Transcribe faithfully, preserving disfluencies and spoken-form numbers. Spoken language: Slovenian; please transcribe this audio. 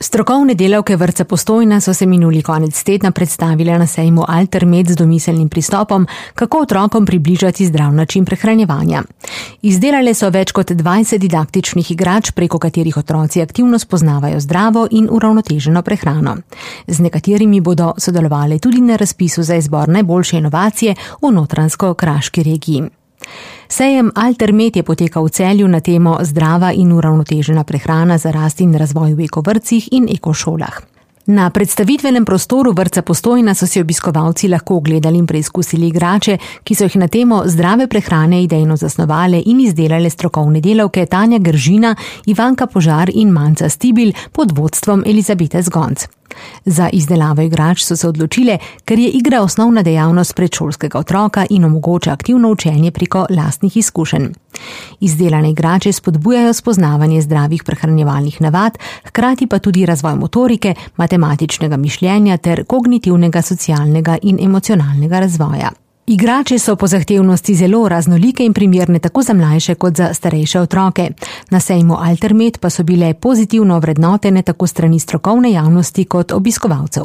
Strokovne delavke vrtca Postojna so se minuli konec tedna predstavile na sejmu Altermed z domiselnim pristopom, kako otrokom približati zdrav način prehranjevanja. Izdelale so več kot dvajset didaktičnih igrač, preko katerih otroci aktivno spoznavajo zdravo in uravnoteženo prehrano. Z nekaterimi bodo sodelovali tudi na razpisu za izbor najboljše inovacije v Notranjsko-Kraški regiji. Sejem Altermed je potekal v Celju na temo zdrava in uravnotežena prehrana za rast in razvoj v ekovrtcih in ekošolah. Na predstavitvenem prostoru vrtca Postojna so si obiskovalci lahko ogledali in preizkusili igrače, ki so jih na temo zdrave prehrane idejno zasnovale in izdelale strokovne delavke Tanja Gržina, Ivanka Požar in Manca Stibilj pod vodstvom Elizabete Zgonc. Za izdelavo igrač so se odločile, ker je igra osnovna dejavnost predšolskega otroka in omogoča aktivno učenje preko lastnih izkušenj. Izdelane igrače spodbujajo spoznavanje zdravih prehranjevalnih navad, hkrati pa tudi razvoj motorike, matematičnega mišljenja ter kognitivnega, socialnega in emocionalnega razvoja. Igrače so po zahtevnosti zelo raznolike in primerne tako za mlajše kot za starejše otroke. Na sejmu Altermed pa so bile pozitivno vrednotene tako strani strokovne javnosti kot obiskovalcev.